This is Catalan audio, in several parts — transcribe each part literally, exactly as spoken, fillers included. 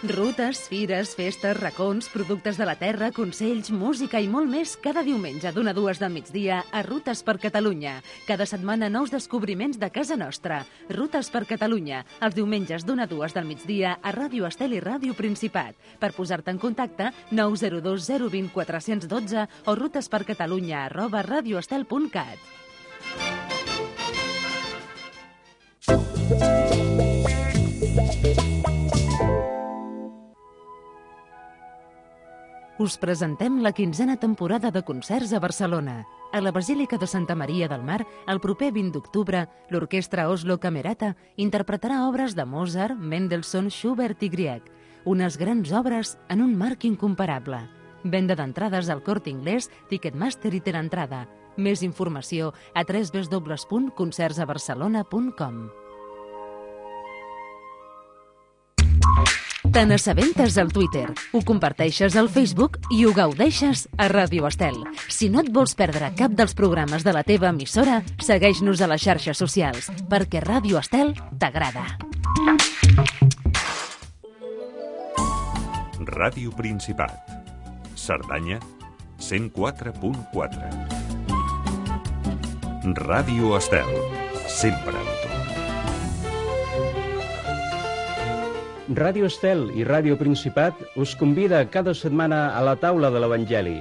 Rutes, fires, festes, racons, productes de la terra, consells, música i molt més cada diumenge d'una a dues del migdia a Rutes per Catalunya. Cada setmana nous descobriments de casa nostra. Rutes per Catalunya, els diumenges d'una a dues del migdia a Ràdio Estel i Ràdio Principat. Per posar-te en contacte, nou zero dos zero dos zero quatre un dos o rutespercatalunya arroba radioestel punt cat. Us presentem la quinzena temporada de concerts a Barcelona. A la Basílica de Santa Maria del Mar, el proper vint d'octubre, l'Orquestra Oslo Camerata interpretarà obres de Mozart, Mendelssohn, Schubert i Grieg. Unes grans obres en un marc incomparable. Venda d'entrades al Corte Inglés, Ticketmaster i Telentrada. Més informació a w w w punt concerts a barcelona punt com. Te n'assabentes al Twitter, ho comparteixes al Facebook i ho gaudeixes a Ràdio Estel. Si no et vols perdre cap dels programes de la teva emissora, segueix-nos a les xarxes socials, perquè Ràdio Estel t'agrada. Ràdio Principat. Cerdanya, cent quatre punt quatre. Ràdio Estel. Sempre amb tu. Ràdio Estel i Ràdio Principat us convida cada setmana a la taula de l'Evangeli.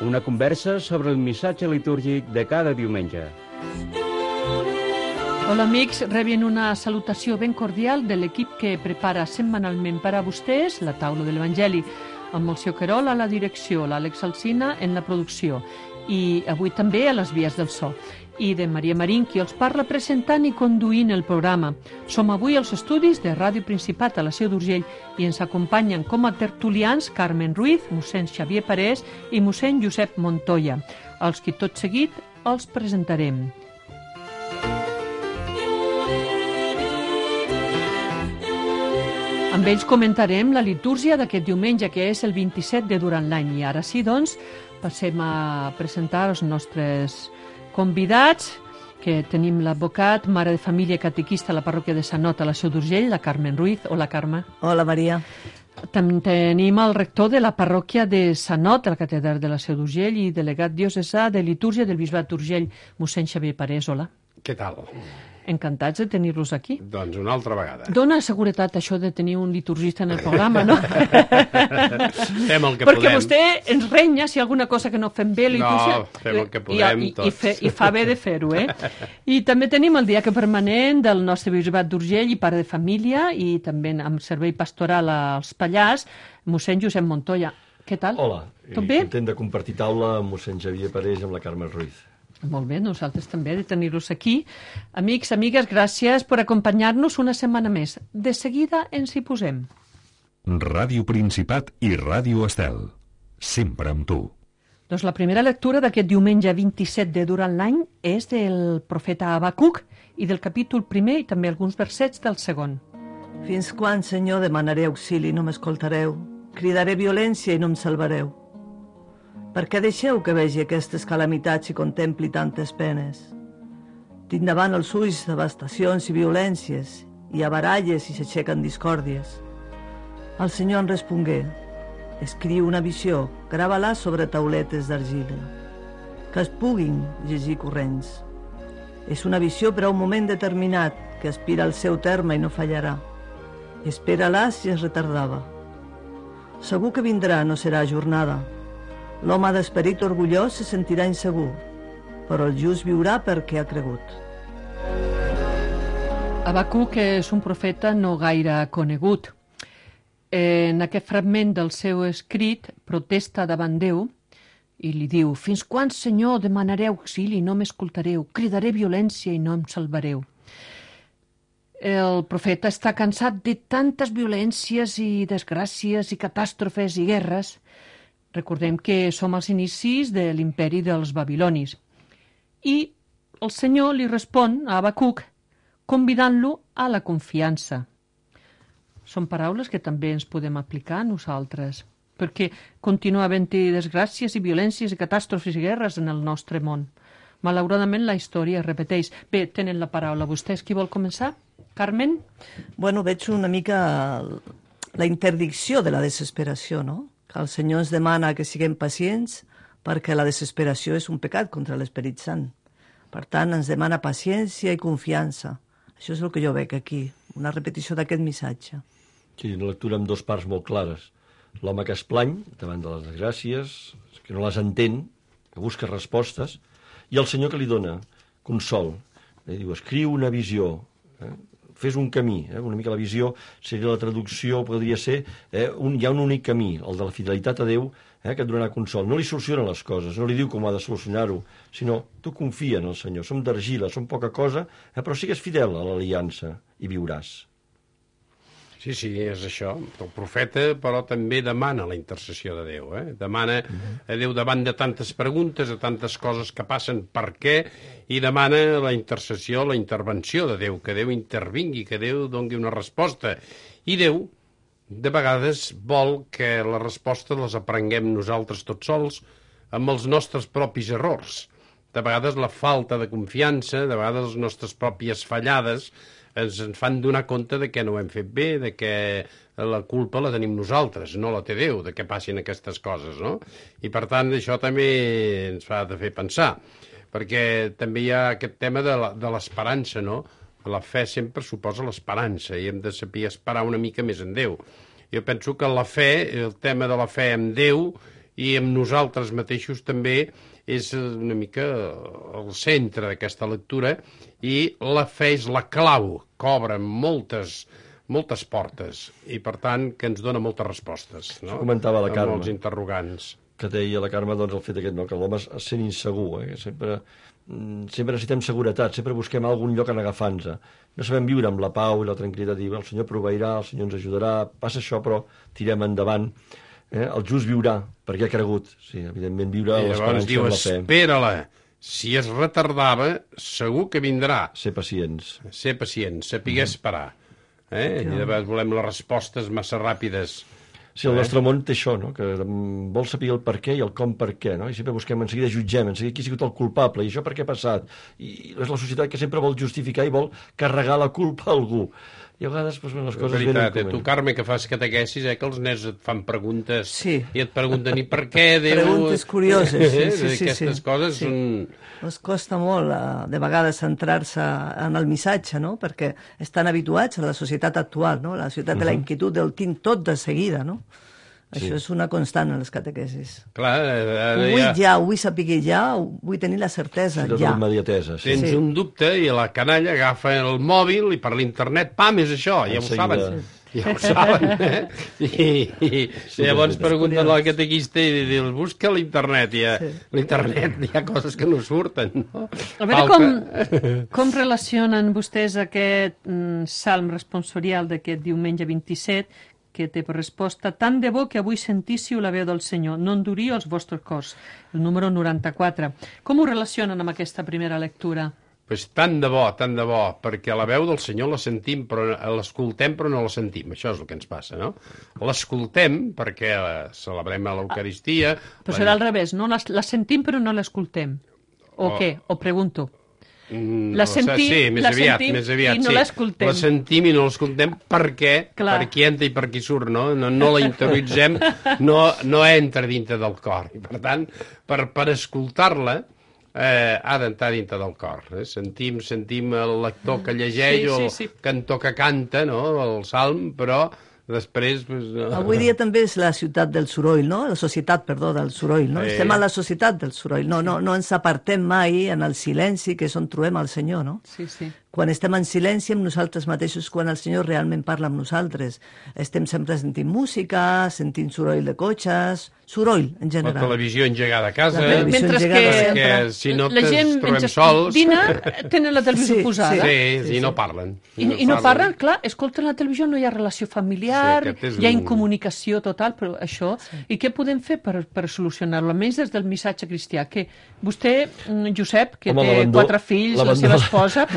Una conversa sobre el missatge litúrgic de cada diumenge. Hola amics, rebien una salutació ben cordial de l'equip que prepara setmanalment per a vostès la taula de l'Evangeli, amb el seu Querol a la direcció, l'Àlex Alsina en la producció i avui també a les vies del so, i de Maria Marín, qui els parla presentant i conduint el programa. Som avui als estudis de Ràdio Principat a la Seu d'Urgell i ens acompanyen com a tertulians Carmen Ruiz, mossèn Xavier Parés i mossèn Josep Montoya, els qui tot seguit els presentarem. Amb ells comentarem la litúrgia d'aquest diumenge, que és el vint-i-set de durant l'any. I ara sí, doncs, passem a presentar els nostres convidats, que tenim l'advocat, mare de família i catequista a la parròquia de Sant Ot a la Seu d'Urgell, la Carmen Ruiz. Hola, Carme. Hola, Maria. També tenim el rector de la parròquia de Sant Ot, de la catedral de la Seu d'Urgell, i delegat diocesà de litúrgia del Bisbat d'Urgell, mossèn Xavier Parés. Hola. Què tal? Encantats de tenir-los aquí. Doncs una altra vegada. Dóna seguretat això de tenir un liturgista en el programa, no? Fem el que Perquè podem. vostè ens renya si alguna cosa que no fem bé. No, fem el que podem I, i, tots. I, fe, I fa bé de fer-ho, eh? I també tenim el diaca permanent del nostre Bisbat d'Urgell i pare de família i també amb servei pastoral als Pallars, mossèn Josep Montoya. Què tal? Hola, Tot bé? content de compartir taula amb mossèn Xavier Parés i amb la Carme Ruiz. Molt bé, nosaltres també de tenir-los aquí. Amics, amigues, gràcies per acompanyar-nos una setmana més. De seguida ens hi posem. Ràdio Principat i Ràdio Estel. Sempre amb tu. Doncs la primera lectura d'aquest diumenge vint-i-set de durant l'any és del profeta Habacuc i del capítol primer i també alguns versets del segon. Fins quan, Senyor, demanaré auxili i no m'escoltareu? Cridaré violència i no em salvareu. Per què deixeu que vegi aquestes calamitats i contempli tantes penes? Tinc davant els ulls devastacions i violències, i a baralles i s'aixequen discòrdies. El Senyor en respongué: escriu una visió, grava-la sobre tauletes d'argila, que es puguin llegir corrents. És una visió per a un moment determinat, que aspira al seu terme i no fallarà. Espera-la si es retardava. Segur que vindrà, no serà ajornada. L'home d'esperit orgullós se sentirà insegur, però el just viurà perquè ha cregut. Habacuc és un profeta no gaire conegut. En aquest fragment del seu escrit protesta davant Déu i li diu: fins quan, Senyor, demanaré auxili i no m'escoltareu? Cridaré violència i no em salvareu. El profeta està cansat de tantes violències i desgràcies i catàstrofes i guerres. Recordem que som als inicis de l'imperi dels babilonis. I el Senyor li respon a Habacuc convidant-lo a la confiança. Són paraules que també ens podem aplicar a nosaltres, perquè continua havent-hi desgràcies i violències i catàstrofes i guerres en el nostre món. malauradament la història es repeteix. Bé, tenen la paraula. Vostès qui vol començar? Carmen? Bueno, veig una mica la interdicció de la desesperació, no? Que el Senyor ens demana que siguem pacients perquè la desesperació és un pecat contra l'Esperit Sant. Per tant, ens demana paciència i confiança. Això és el que jo veig aquí, una repetició d'aquest missatge. Sí, una lectura amb dues parts molt clares. L'home que es plany davant de les desgràcies, que no les entén, que busca respostes, i el Senyor que li dona consol. Eh, diu, escriu una visió, eh? Fes un camí. Eh? Una mica la visió seria la traducció, podria ser, eh? un, hi ha un únic camí, el de la fidelitat a Déu, eh? que et donarà consol. No li solucionen les coses, no li diu com ha de solucionar-ho, sinó tu confia en el Senyor. Som d'argila, som poca cosa, eh? però sigues fidel a l'aliança i viuràs. Sí, sí, és això. El profeta, però, també demana la intercessió de Déu. Eh? Demana a Déu davant de tantes preguntes, de tantes coses que passen, per què, i demana la intercessió, la intervenció de Déu, que Déu intervingui, que Déu doni una resposta. I Déu, de vegades, vol que la resposta les aprenguem nosaltres tots sols amb els nostres propis errors. De vegades la falta de confiança, de vegades les nostres pròpies fallades, ens en fan donar compte de que no ho hem fet bé, de que la culpa la tenim nosaltres, no la té Déu, de que passin aquestes coses, no? I, per tant, això també ens fa de fer pensar, perquè també hi ha aquest tema de l'esperança, no? La fe sempre suposa l'esperança i hem de saber esperar una mica més en Déu. Jo penso que la fe, el tema de la fe en Déu i amb nosaltres mateixos també és una mica el centre d'aquesta lectura i la fe és la clau que obre moltes, moltes portes i, per tant, que ens dona moltes respostes. No? Això comentava la Carme. Amb els interrogants. Que deia la Carme, doncs, el fet aquest, no? Que l'home es sent insegur, eh? Sempre, sempre necessitem seguretat, sempre busquem algun lloc en agafar-nos. No sabem viure amb la pau i la tranquil·litat, dir, el Senyor proveirà, el Senyor ens ajudarà, passa això, però tirem endavant. Eh? El just viurà, perquè ha cregut. Sí, evidentment, viure l'esperança diu, amb la fe. Espera-la. Si es retardava, segur que vindrà. Ser pacients. Ser pacients, saber esperar. Eh? I de vegades volem les respostes massa ràpides. Sí, el nostre món té això, no? Que vol saber el per què i el com per què, no? I sempre busquem, en seguida jutgem, en seguida qui ha sigut el culpable, i això per què ha passat. I és la societat que sempre vol justificar i vol carregar la culpa a algú. I a vegades doncs, les coses veritat, venen com... Eh? Tu, Carme, que fas catequesis, eh, que els nens et fan preguntes sí. i et pregunten i per què Déu... Preguntes curioses, sí, sí, sí. Aquestes sí. coses sí. són... Els costa molt, de vegades, centrar-se en el missatge, no? Perquè estan habituats a la societat actual, no? La societat uh -huh. de la inquietud del tinc tot de seguida, no? Sí. Això és una constant en les catequesis. Clar, ho vull ja, ja ho vull saber ja, vull tenir la certesa, sí, ja. Immediatesa, sí. Tens sí. un dubte i la canalla agafa el mòbil i per l'internet, pam, és això, ja ho saben. Sí. Ja ho saben, eh? I, i, i llavors pregunten al catequista i dius, busca l'internet, i a sí. l'internet hi ha coses que no surten, no? A veure com, com relacionen vostès aquest mm, salm responsorial d'aquest diumenge vint-i-set, que té per resposta, tant de bo que avui sentíssiu la veu del Senyor, no enduríeu els vostres cors, el número noranta-quatre. Com ho relacionen amb aquesta primera lectura? Pues tant de bo, tant de bo, perquè la veu del Senyor la sentim, però l'escoltem però no la sentim, això és el que ens passa, no? L'escoltem perquè la celebrem a l'Eucaristia... Però serà al revés, no? La, la sentim però no l'escoltem. O oh. què? O pregunto. La sentim, sí, més la aviat, sentim més aviat, i no sí. l'escoltem. La sentim i no l'escoltem perquè, Clar. per qui entra i per qui surt, no? No, no la interioritzem, no, no entra dintre del cor. I, per tant, per, per escoltar-la, eh, ha d'entrar dintre del cor. Eh? Sentim, sentim el lector que llegeix sí, sí, o el sí. cantor que canta, no?, el salm, però... Després... Pues, no. Avui dia també és la ciutat del soroll, no? La societat, perdó, del soroll, no? Eh. Estem a la societat del soroll. No, no, no ens apartem mai en el silenci, que és on trobem el Senyor, no? Sí, sí. Quan estem en silenci amb nosaltres mateixos, quan el Senyor realment parla amb nosaltres. Estem sempre sentint música, sentint soroll de cotxes, soroll, en general. La televisió engegada a casa. Mentre que, que si no la gent trobem sols... Dina, tenen la televisió sí, posada. Sí, sí, sí, i no parlen. I, I no parlen, clar, escolten la televisió, no hi ha relació familiar, sí, hi ha un... incomunicació total, però això... Sí. I què podem fer per, per solucionar-lo? Almenys des del missatge cristià, que vostè, Josep, que Home, té quatre fills, la seva esposa,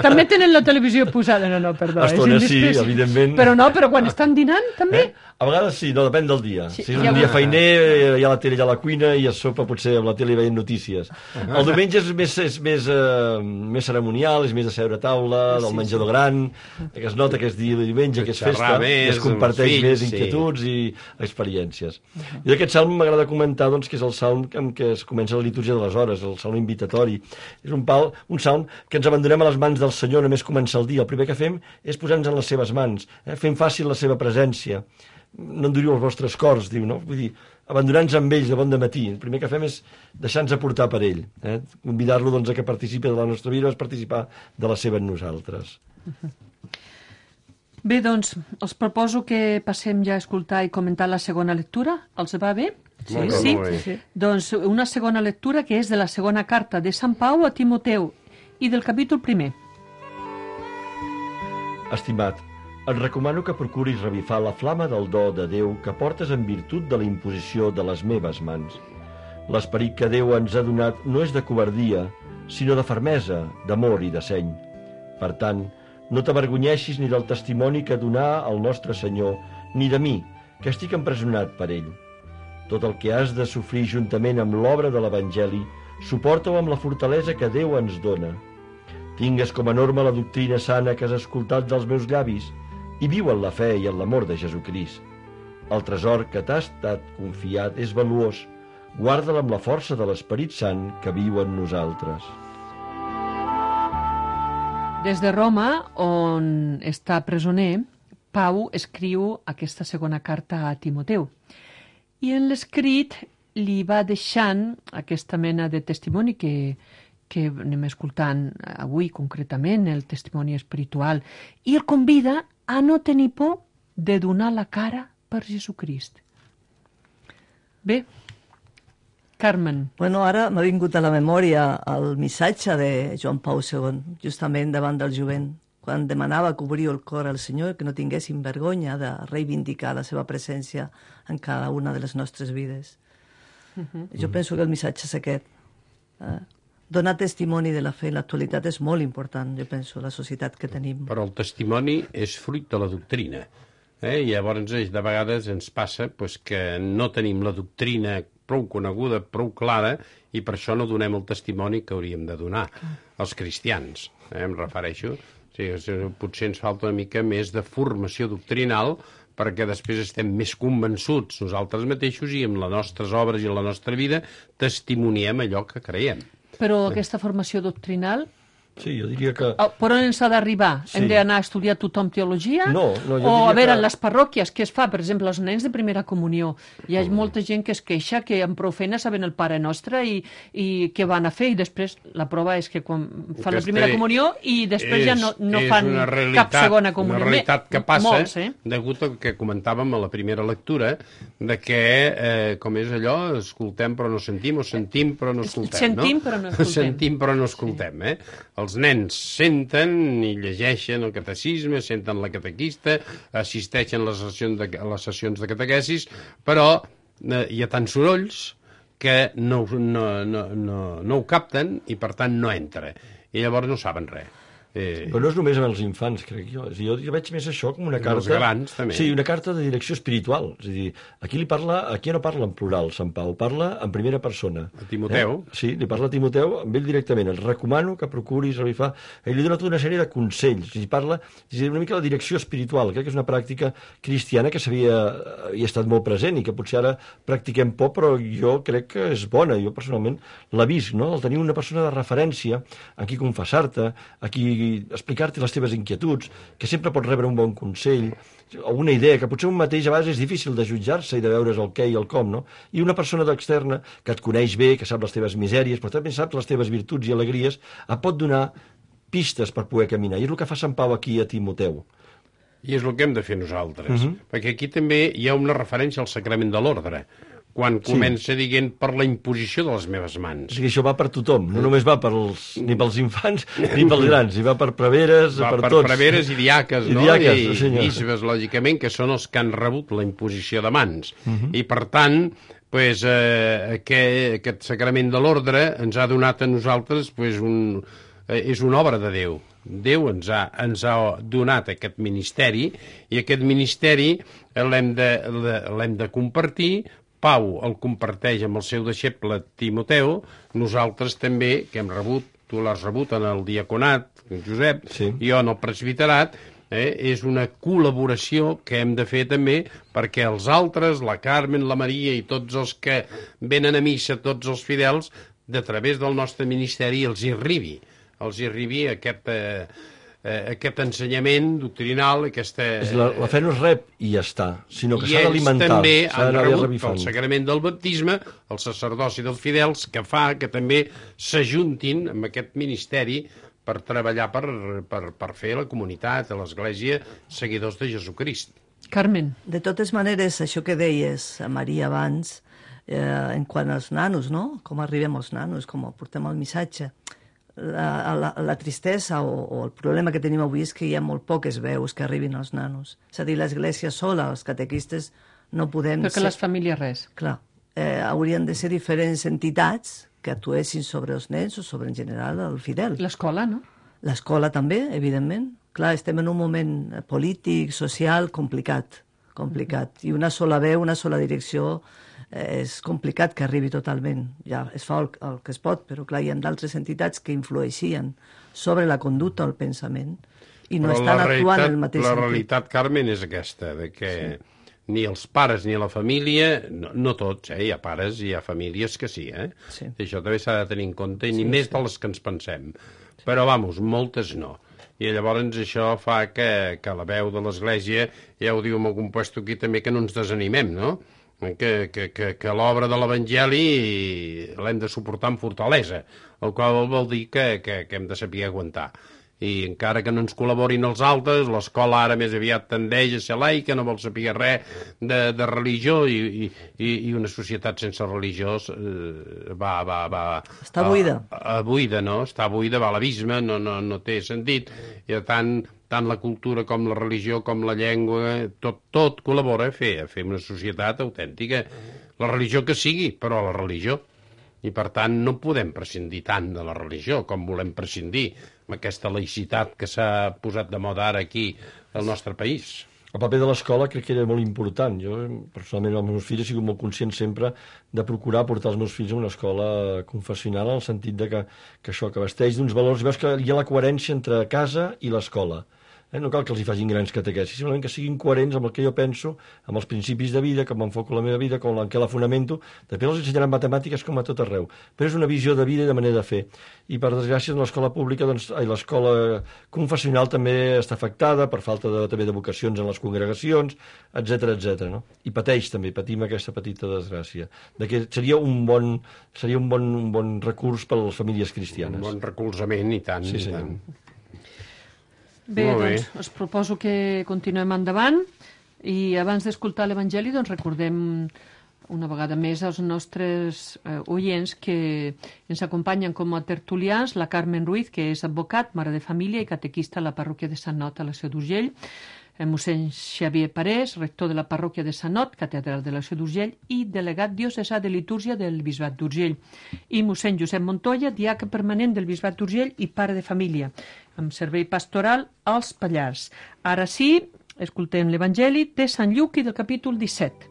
també tenen la televisió posada. No, no, perdó. Estona sí, evidentment. Però no, però quan estan dinant, també. Eh? A vegades sí, no, depèn del dia. Sí, si és ja un ho- dia feiner, hi ha la tele allà a la cuina i es sopa potser amb la tele veient notícies. El diumenge és més, és més, eh, més cerimonial, és més de seure a taula, del menjador gran, que es nota que és dia de diumenge, que és Xerrar festa, més i es comparteix amb els més fills, sí. inquietuds i experiències. I d'aquest salm m'agrada comentar doncs, que és el salm amb què es comença la litúrgia de les hores, el salm invitatori. És un, pal, un salm que ens abandonem a les mans del Senyor només comença el dia. El primer que fem és posar-nos en les seves mans, eh? fent fàcil la seva presència. No enduriu els vostres cors, diu, no? Vull dir, abandonar-nos amb ells de bon dematí. El primer que fem és deixar-nos aportar per ell. Eh? Convidar-lo doncs, a que participi de la nostra vida, a participar de la seva en nosaltres. Bé, doncs, els proposo que passem ja a escoltar i comentar la segona lectura. Els va bé? Sí, molt bé, sí? molt bé. sí. Doncs una segona lectura que és de la segona carta de Sant Pau a Timoteu i del capítol primer. Estimat, et recomano que procuris revifar la flama del do de Déu que portes en virtut de la imposició de les meves mans. L'esperit que Déu ens ha donat no és de covardia, sinó de fermesa, d'amor i de seny. Per tant, no t'avergonyeixis ni del testimoni que donà al nostre Senyor, ni de mi, que estic empresonat per ell. Tot el que has de sofrir juntament amb l'obra de l'Evangeli, suporta-ho amb la fortalesa que Déu ens dona. Tingues com a norma la doctrina sana que has escoltat dels meus llavis i viu en la fe i en l'amor de Jesucrist. El tresor que t'ha estat confiat és valuós. Guarda-la amb la força de l'Esperit Sant que viu en nosaltres. Des de Roma, on està presoner, Pau escriu aquesta segona carta a Timoteu. I en l'escrit li va deixant aquesta mena de testimoni que, que anem escoltant avui concretament, el testimoni espiritual, i el convida a no tenir por de donar la cara per Jesucrist. Bé, Carmen. Bueno, ara m'ha vingut a la memòria el missatge de Joan Pau segon, justament davant del jovent, quan demanava que obriu el cor al Senyor, que no tinguéssim vergonya de reivindicar la seva presència en cada una de les nostres vides. Uh-huh. Jo penso que el missatge és aquest. Eh? Donar testimoni de la fe en l'actualitat és molt important, jo penso, la societat que tenim. Però el testimoni és fruit de la doctrina. Eh? I llavors, de vegades, ens passa pues, que no tenim la doctrina prou coneguda, prou clara, i per això no donem el testimoni que hauríem de donar als cristians. Eh? Em refereixo. O sigui, potser ens falta una mica més de formació doctrinal perquè després estem més convençuts nosaltres mateixos i amb les nostres obres i la nostra vida testimoniem allò que creiem. Però aquesta formació doctrinal, Sí, jo diria que... oh, per on ens ha d'arribar? Sí. Hem d'anar a estudiar tothom teologia? No, no, jo o, diria a veure, que- en les parròquies, què es fa? Per exemple, els nens de primera comunió. Hi ha molta gent que es queixa que amb prou feina saben el Pare Nostre i, i què van a fer, i després la prova és que quan fan la Aquesta primera comunió i després és, ja no, no és fan una realitat, cap segona comunió. Una realitat que passa, Molts, eh? degut al que comentàvem a la primera lectura, de que, eh, com és allò, escoltem però no sentim, o sentim però no escoltem, Sentim, no? però no escoltem. Sentim però no escoltem, eh? Els nens senten i llegeixen el catecisme, senten la catequista, assisteixen a les sessions de, a les sessions de catequesis, però eh, hi ha tants sorolls que no, no, no, no, no ho capten i, per tant, no entra. I llavors no saben res. Eh... Però no és només amb els infants, crec jo. És a dir, jo, jo veig més això com una Amb carta... els grans, també. Sí, una carta de direcció espiritual. És a dir, aquí li parla, aquí no parla en plural, Sant Pau, parla en primera persona. A Timoteu. Eh? Sí, li parla a Timoteu amb ell directament. Et recomano que procuris revifar... Ell li dona tota una sèrie de consells. I parla, és a dir, una mica la direcció espiritual. Crec que és una pràctica cristiana que s'havia havia estat molt present i que potser ara practiquem poc, però jo crec que és bona. Jo personalment la visc, no? El tenir una persona de referència a qui confessar-te, a qui explicar-te les teves inquietuds, que sempre pots rebre un bon consell, o una idea, que potser un mateix a vegades és difícil de jutjar-se i de veure's el què i el com, no? I una persona d'externa que et coneix bé, que sap les teves misèries, però també sap les teves virtuts i alegries, et pot donar pistes per poder caminar. I és el que fa Sant Pau aquí a Timoteu. I és el que hem de fer nosaltres. Uh-huh. Perquè aquí també hi ha una referència al sacrament de l'ordre, quan comença dient per la imposició de les meves O mans. sigui, això va per tothom, no només va pels, ni pels infants ni pels grans, i va per preveres, Va per, per tots. preveres i diaques, I no? diaques, I, sí, senyor. i bisbes, lògicament, que són els que han rebut la imposició de mans. Mhm. I, per tant, pues, eh, aquest, aquest sacrament de l'ordre ens ha donat a nosaltres pues, un, eh, és una obra de Déu. Déu ens ha, ens ha donat aquest ministeri i aquest ministeri l'hem de, l'hem de compartir. Pau el comparteix amb el seu deixeble Timoteu, nosaltres també, que hem rebut, tu l'has rebut en el diaconat, Josep, sí. Jo en el presbiterat, eh, és una col·laboració que hem de fer també perquè els altres, la Carmen, la Maria i tots els que venen a missa, tots els fidels, de través del nostre ministeri els hi arribi, els hi arribi aquest... Eh, Eh, aquest ensenyament doctrinal, aquesta... És la, la fe no es rep i ja està, sinó que s'ha d'alimentar. I ells també han rebut revifant. el sagrament del baptisme, el sacerdoci dels fidels, que fa que també s'ajuntin amb aquest ministeri per treballar per, per, per fer la comunitat, a l'Església, seguidors de Jesucrist. Carmen. De totes maneres, això que deies, Maria, abans, eh, en quant als nanos, no? Com arribem als nanos, com portem el missatge. La, la, la tristesa o, o el problema que tenim avui és que hi ha molt poques veus que arribin als nanos. És a dir, l'Església sola, els catequistes, no podem Perquè ser... les famílies res. Clar, eh, haurien de ser diferents entitats que actuessin sobre els nens o sobre, en general, el fidel. L'escola, no? L'escola també, evidentment. Clar, estem en un moment polític, social, complicat, complicat. I una sola veu, una sola direcció... és complicat que arribi totalment. Ja es fa el, el que es pot, però clar, hi ha d'altres entitats que influeixien sobre la conducta o el pensament i no però estan actuant en el mateix la sentit. La realitat, Carmen, és aquesta, de que sí. Ni els pares ni la família, no, no tots, eh? Hi ha pares i hi ha famílies que sí, eh? Sí. Això també s'ha de tenir en compte, i ni sí, més sí. de les que ens pensem. Sí. Però, vamos, moltes no. I llavors això fa que, que la veu de l'Església, ja ho diu en algun puesto aquí també, que no ens desanimem, no? que, que, que, que l'obra de l'Evangeli l'hem de suportar amb fortalesa, el qual vol dir que, que, que hem de saber aguantar. I encara que no ens col·laborin els altres, l'escola ara més aviat tendeix a ser laica, no vol saber res de, de religió, i, i, i una societat sense religió eh, va, va, va... Està buida. A, a buida, no? Està buida, va a l'abisme, no, no, no té sentit. I tant, tant la cultura com la religió com la llengua, tot, tot col·labora a fer, a fer una societat autèntica. La religió que sigui, però la religió. I per tant no podem prescindir tant de la religió com volem prescindir amb aquesta laïcitat que s'ha posat de moda ara aquí al nostre país. El paper de l'escola crec que era molt important. Jo, personalment, amb els meus fills he sigut molt conscient sempre de procurar portar els meus fills a una escola confessional, en el sentit de que, que això, que vesteix d'uns valors, veus que hi ha la coherència entre casa i l'escola. Eh? No cal que els hi facin grans catequesis, simplement que siguin coherents amb el que jo penso, amb els principis de vida, com m'enfoco la meva vida, com en què la fonamento. Després els ensenyaran matemàtiques com a tot arreu, però és una visió de vida i de manera de fer. I per desgràcia en l'escola pública, doncs, l'escola confessional també està afectada per falta de, també de vocacions en les congregacions, etcètera, etcètera. No? I pateix també, patim aquesta petita desgràcia, de que seria un bon, seria un bon, un bon recurs per a les famílies cristianes. Un bon recolzament, i tant, sí, i sí. tant. Bé, doncs, us proposo que continuem endavant i abans d'escoltar l'Evangeli doncs recordem una vegada més als nostres eh, oients que ens acompanyen com a tertulians la Carmen Ruiz, que és advocat, mare de família i catequista a la parròquia de Sant Not a la Seu d'Urgell, mossèn Xavier Parés, rector de la parròquia de Sant Not, catedral de la Seu d'Urgell i delegat diocesà de litúrgia del Bisbat d'Urgell, i mossèn Josep Montoya, diaca permanent del Bisbat d'Urgell i pare de família, amb servei pastoral als Pallars. Ara sí, escoltem l'Evangeli de Sant Lluc i del capítol disset.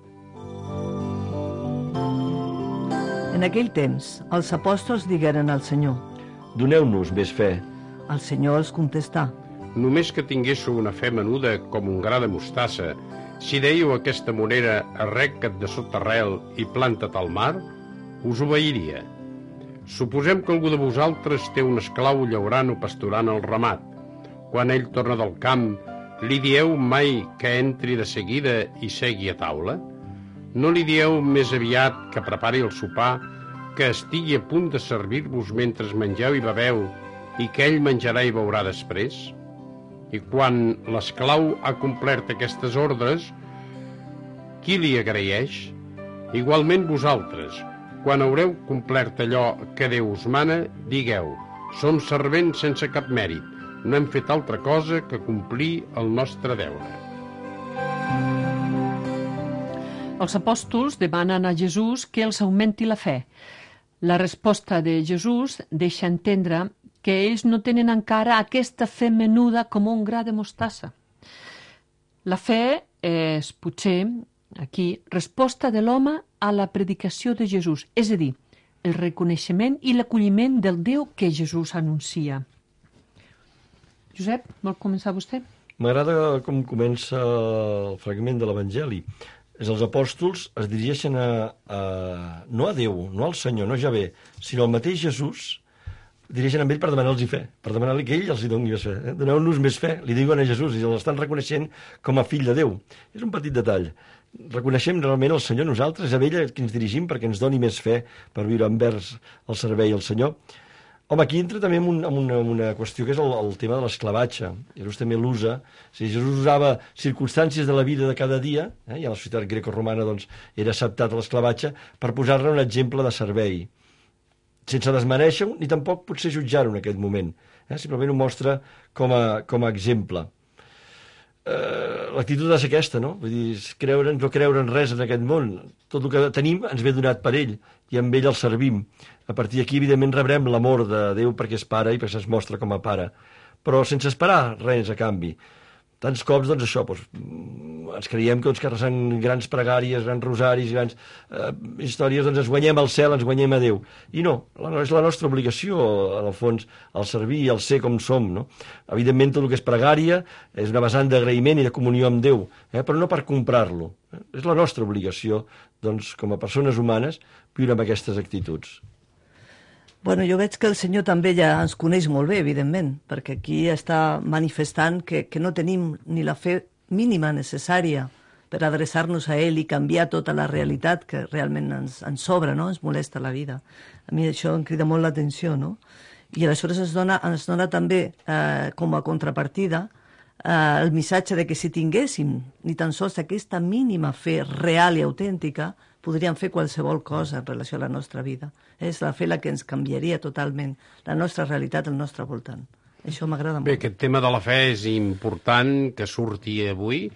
En aquell temps, els apòstols digueren al Senyor. Doneu-nos més fe. El Senyor els contestà. Només que tinguéssiu una fe menuda com un gra de mostassa, si dèieu a aquesta monera arreca't de sota arrel i planta't al mar, us obeiria. Suposem que algú de vosaltres té un esclau llaurant o pasturant el ramat. Quan ell torna del camp, li dieu mai que entri de seguida i segui a taula? No li dieu més aviat que prepari el sopar, que estigui a punt de servir-vos mentre mengeu i beveu i que ell menjarà i beurà després? I quan l'esclau ha complert aquestes ordres, qui li agraeix? Igualment vosaltres, quan haureu complert allò que Déu us mana, digueu, som servents sense cap mèrit, no hem fet altra cosa que complir el nostre deure. Els apòstols demanen a Jesús que els augmenti la fe. La resposta de Jesús deixa entendre que ells no tenen encara aquesta fe menuda com un gra de mostassa. La fe és, potser, aquí, resposta de l'home a la predicació de Jesús, és a dir, el reconeixement i l'acolliment del Déu que Jesús anuncia. Josep, vol començar vostè? M'agrada com comença el fragment de l'Evangeli. És els apòstols es dirigeixen a, a, no a Déu, no al Senyor, no a Javé, sinó al mateix Jesús, dirigeixen amb ell per demanar-los fe, per demanar-li que ell els hi doni més fe. Eh? Doneu-nos més fe, li diuen a Jesús, i l'estan reconeixent com a fill de Déu. És un petit detall. Reconeixem realment el Senyor nosaltres, a ell que ens dirigim perquè ens doni més fe per viure envers el servei al Senyor. Home, aquí entra també en, un, en una, una qüestió que és el, el tema de l'esclavatge. Jesús també l'usa. Si Jesús usava circumstàncies de la vida de cada dia, eh, i a la societat grecorromana doncs, era acceptat l'esclavatge, per posar-ne un exemple de servei, sense desmereixer-ho ni tampoc potser jutjar-ho en aquest moment. Eh? Simplement ho mostra com a, com a exemple. Eh, l'actitud és aquesta, no? Vull dir, creure'ns o creure en res en aquest món. Tot el que tenim ens ve donat per ell i amb ell el servim. A partir d'aquí, evidentment, rebrem l'amor de Déu perquè és pare i perquè es mostra com a pare. Però sense esperar res a canvi. Tants cops, doncs, això, doncs, ens creiem que, doncs, que rezant grans pregàries, grans rosaris, grans eh, històries, doncs ens guanyem al cel, ens guanyem a Déu. I no, la, és la nostra obligació, en el fons, el servir i el ser com som, no? Evidentment, tot el que és pregària és una vessant d'agraïment i de comunió amb Déu, eh, però no per comprar-lo. Eh? És la nostra obligació, doncs, com a persones humanes, viure amb aquestes actituds. Bueno, jo veig que el Senyor també ja ens coneix molt bé, evidentment, perquè aquí està manifestant que, que no tenim ni la fe mínima necessària per adreçar-nos a ell i canviar tota la realitat que realment ens, ens sobra, no? Ens molesta la vida. A mi això em crida molt l'atenció, no? I aleshores ens dona, ens dona també, eh, com a contrapartida, eh, el missatge de que si tinguéssim ni tan sols aquesta mínima fe real i autèntica, podríem fer qualsevol cosa en relació a la nostra vida. És la fe la que ens canviaria totalment la nostra realitat al nostre voltant. Això m'agrada molt. Bé, aquest tema de la fe és important que surti avui,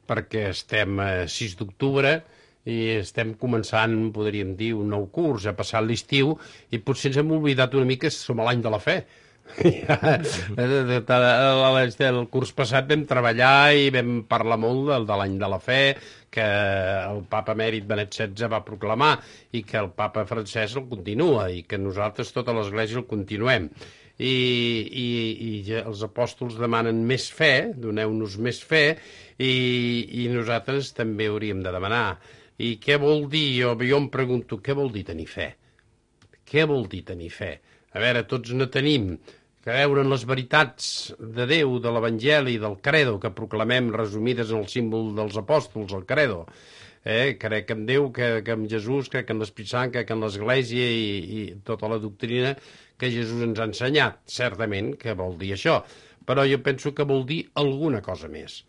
perquè estem a sis d'octubre i estem començant, podríem dir, un nou curs, ha passat l'estiu, i potser ens hem oblidat una mica que som a l'any de la fe. El curs passat vam treballar i vam parlar molt del, de l'any de la fe, que el papa emèrit Benet setze va proclamar i que el papa francès el continua i que nosaltres, tota l'Església, el continuem. I, i, i els apòstols demanen més fe, doneu-nos més fe, i, i nosaltres també hauríem de demanar. I què vol dir? Jo, jo em pregunto, què vol dir tenir fe? Què vol dir tenir fe? A veure, tots no tenim creure en les veritats de Déu, de l'Evangeli, del credo, que proclamem resumides en el símbol dels apòstols, el credo. Eh? Crec en Déu, que, que en Jesús, crec en l'Espírit Sant, crec en l'Església i, i tota la doctrina que Jesús ens ha ensenyat. Certament que vol dir això, però jo penso que vol dir alguna cosa més.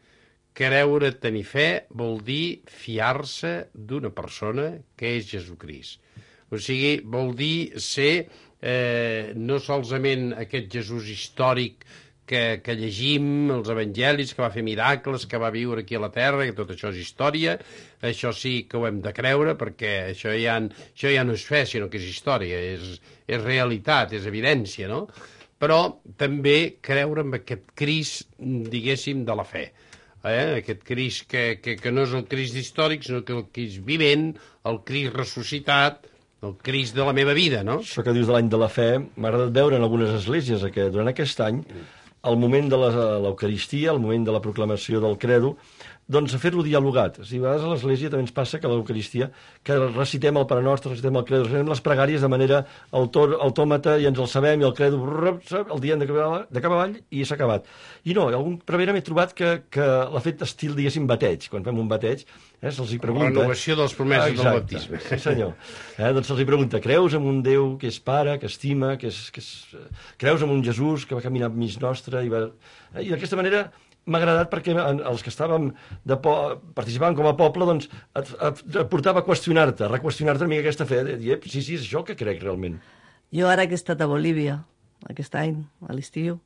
Creure, tenir fe, vol dir fiar-se d'una persona que és Jesucrist. O sigui, vol dir ser eh, no solament aquest Jesús històric que, que llegim, els evangelis, que va fer miracles, que va viure aquí a la terra, que tot això és història, això sí que ho hem de creure, perquè això ja, això ja no és fe, sinó que és història, és, és realitat, és evidència, no? Però també creure en aquest Crist, diguéssim, de la fe. Eh? Aquest Crist que, que, que no és el Crist històric, sinó que el Crist vivent, el Crist ressuscitat, el Crist de la meva vida, no? Això que dius de l'any de la fe, m'ha agradat veure en algunes esglésies que durant aquest any, al moment de l'Eucaristia, al moment de la proclamació del credo, doncs a fer-lo dialogat. O sigui, a vegades a l'església també ens passa que a l'Eucaristia, que recitem el Pare Nostre, recitem el credo, recitem les pregàries de manera autòmata i ens el sabem, i el credo el diem de cap avall i s'ha acabat. I no, algun prevere m'he trobat que, que l'ha fet estil, diguéssim, bateig. Quan fem un bateig, eh, se'ls hi pregunta... La renovació de les promeses ah, del baptisme. Sí, senyor. Eh, doncs se'ls hi pregunta, creus en un Déu que és pare, que estima, que és... Que és... Creus en un Jesús que va caminar mig nostre i va... Eh, I d'aquesta manera m'ha agradat perquè els que estàvem de po participant com a poble doncs et, et, et portava a qüestionar-te, a reqüestionar-te una mica aquesta fe, de dir, sí, sí, és això que crec realment. Jo ara que he estat a Bolívia, aquest any, a l'estiu,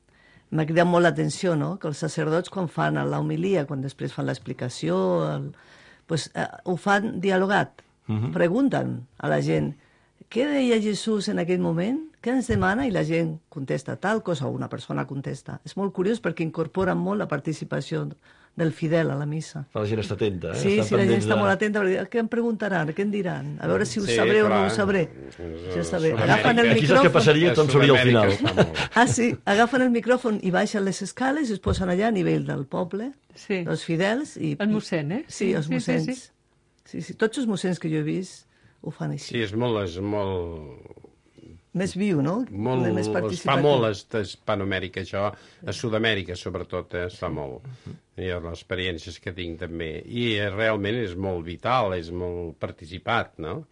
m'ha cridat molt l'atenció, no?, que els sacerdots quan fan l'homilia, quan després fan l'explicació, el... pues, eh, ho fan dialogat, uh-huh. Pregunten a la gent, què deia Jesús en aquell moment? què ens demana? I la gent contesta tal cosa, o una persona contesta. És molt curiós perquè incorpora molt la participació del fidel a la missa. La gent està atenta, eh? Sí, Estan sí, la gent pendents està de- molt atenta, perquè què em preguntaran, què em diran? A veure si ho Sí, sabré o no clar. ho sabré. És- Ja està bé. Sud-amèrica. Agafen el Aquí saps què micròfon... passaria? Tothom sabria al final. Sud-amèrica està molt- Ah, sí, agafen el micròfon i baixen les escales i es posen allà a nivell del poble, Sí. dels fidels. I, El mossèn, eh? Sí, els Sí, sí, mossens. sí, Sí, sí. sí, Tots els mossens que jo he vist ho fan així. Sí, és molt... És molt... Més viu, no? Molt, Més es fa participatiu. molt a Hispanoamèrica, això, a Sud-amèrica sobretot, eh, es fa molt. I les experiències que tinc també. I eh, realment és molt vital, és molt participat, no?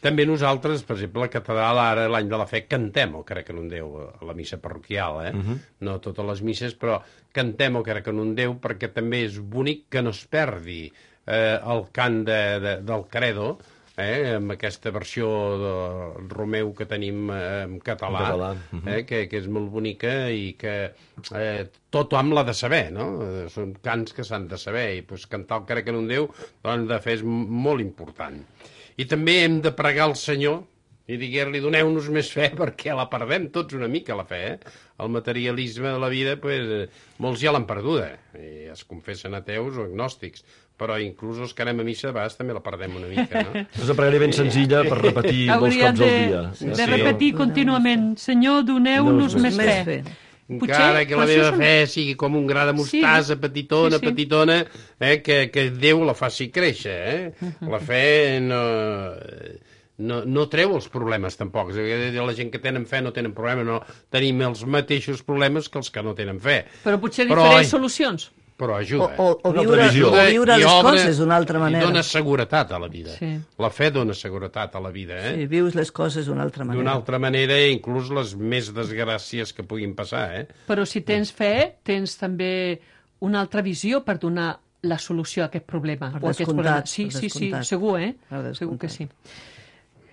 També nosaltres, per exemple, a la catedral, ara, l'any de la fe, cantem o crec en un Déu, a la missa parroquial, eh? Uh-huh. No totes les misses, però cantem o crec en un Déu perquè també és bonic que no es perdi eh, el cant de, de, del credo, eh, amb aquesta versió de Romeu que tenim eh, en català, En català, uh-huh. eh, que, que és molt bonica i que eh, tothom l'ha de saber, no? Eh, Són cants que s'han de saber i pues, cantar el crec en un Déu doncs, de fer és m- molt important. I també hem de pregar al Senyor i dir-li doneu-nos més fe perquè la perdem tots una mica, la fe. Eh? El materialisme de la vida, pues, eh, molts ja l'han perduda i es confessen ateus o agnòstics, però inclús els que anem a missa de vegades també la perdem una mica, no? És una pregària ben senzilla per repetir molts Hauríem cops de, al dia. de Sí. repetir contínuament, Senyor, doneu-nos Doneu-nos més Més fe. fe. Encara que la Potser meva això és un- fe sigui com un gra de mostassa, Sí, petitona, sí, sí. petitona, eh, que, que Déu la faci créixer. Eh? La fe no, no, no treu els problemes, tampoc. És a dir, la gent que tenen fe no tenen problema, no tenim els mateixos problemes que els que no tenen fe. Però potser Però, diferents ai, solucions. Però O, ajuda. o, o Una viure, previsió. o viure I les obre coses d'una altra I manera. dona seguretat a la vida. Sí. La fe dona seguretat a la vida, eh? Sí, vius les coses d'una altra manera. D'una altra manera, inclús les més desgràcies que puguin passar, eh? Però si tens fe, tens també una altra visió per donar la solució a aquest problema. Per o a aquests descomptat, problemes. Sí, per sí, sí, descomptat. segur, eh? Per Segur que sí. descomptat.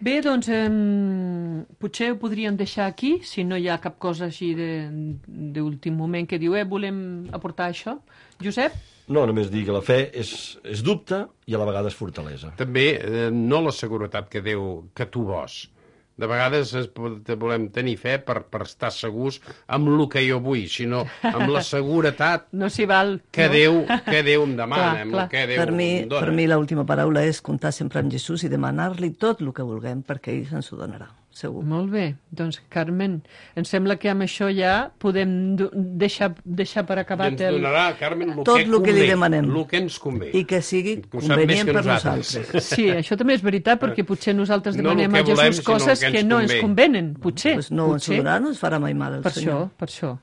Bé, doncs, eh, potser ho podríem deixar aquí, si no hi ha cap cosa així de- d'últim moment que diu, eh, volem aportar això. Josep? No, només dir que la fe és, és dubte i a la vegada és fortalesa. També eh, no la seguretat que Déu, que tu vols. De vegades es, pot- volem tenir fe per, per estar segurs amb el que jo vull, sinó amb la seguretat No s'hi val... que, no? Déu, que Déu em demana, Clar, amb clar. el que Déu Per mi, em dona. per mi l'última paraula és comptar sempre amb Jesús i demanar-li tot el que vulguem perquè ell ens ho donarà, segur. Molt bé. Doncs, Carmen, em sembla que amb això ja podem do- deixar, deixar per I acabat ens el... donarà, Carmen, el Tot que el que li convé, demanem. el que ens convé. I que sigui Ho sap més convenient que per nosaltres. nosaltres. Sí, això també és veritat, perquè potser nosaltres No demanem el a que volem, Jesús sinó el coses que ens que no ens convé. convenen, potser. Pues no ens ho potser. donarà, no ens farà mai mal el Per Senyor. això, per això.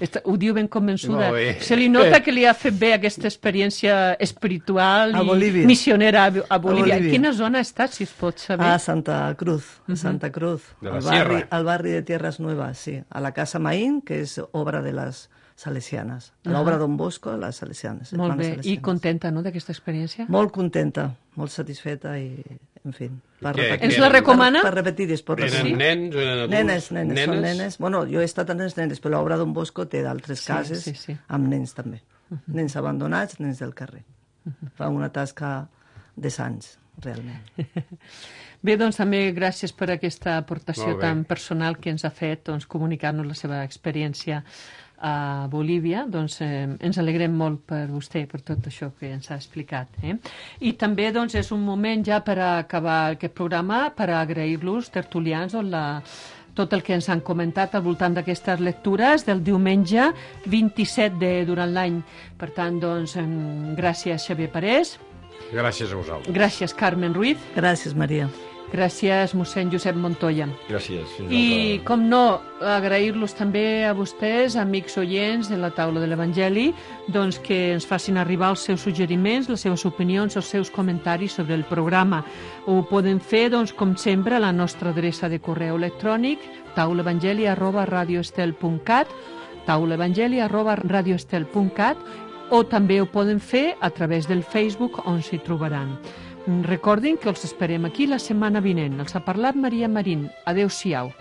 Està- Ho diu ben convençuda. Molt bé. Se li nota que li ha fet bé aquesta experiència espiritual A i Bolívia. missionera a, a Bolívia. A Bolívia. En quina zona ha estat, si es pot saber? A Santa Cruz, a Santa Cruz, De la al, barri, Sierra. al barri de Tierras Nuevas, sí. A la Casa Maín, que és obra de les salesianes. L'obra Don Bosco, les salesianes. Molt hermanes bé. I salesianes. contenta, no?, d'aquesta experiència? Molt contenta, molt satisfeta i, en fi, per Què- repetir. Ens la recomana? Per, per repetir i es pot Eren repetir. nens, eren adults, Nenes, nenes, són nenes. Bueno, jo he estat amb els nenes, però l'obra Don Bosco té d'altres Sí, cases sí, sí. amb nens també. Nens abandonats, nens del carrer. Fa una tasca de sants, realment. Bé, doncs també gràcies per aquesta aportació Molt bé. tan personal que ens ha fet, doncs, comunicar-nos la seva experiència a Bolívia. Doncs eh, ens alegrem molt per vostè, per tot això que ens ha explicat. Eh? I també doncs, és un moment ja per acabar aquest programa, per agrair-los, tertulians, doncs, la, tot el que ens han comentat al voltant d'aquestes lectures del diumenge vint-i-set de durant l'any. Per tant, doncs, em, gràcies Xavier Parés, Gràcies a vosaltres. gràcies Carmen Ruiz, Gràcies, Maria. gràcies mossèn Josep Montoya. Gràcies. Fins I, altra- com no, agrair-los també a vostès, amics oients de la taula de l'Evangeli, doncs que ens facin arribar els seus suggeriments, les seves opinions, els seus comentaris sobre el programa. Ho poden fer, doncs, com sempre, a la nostra adreça de correu electrònic, taulaevangeli arroba radioestel punt cat, taulaevangeli arroba radioestel punt cat, o també ho poden fer a través del Facebook, on s'hi trobaran. Recordin que els esperem aquí la setmana vinent. Els ha parlat Maria Marín. Adéu-siau.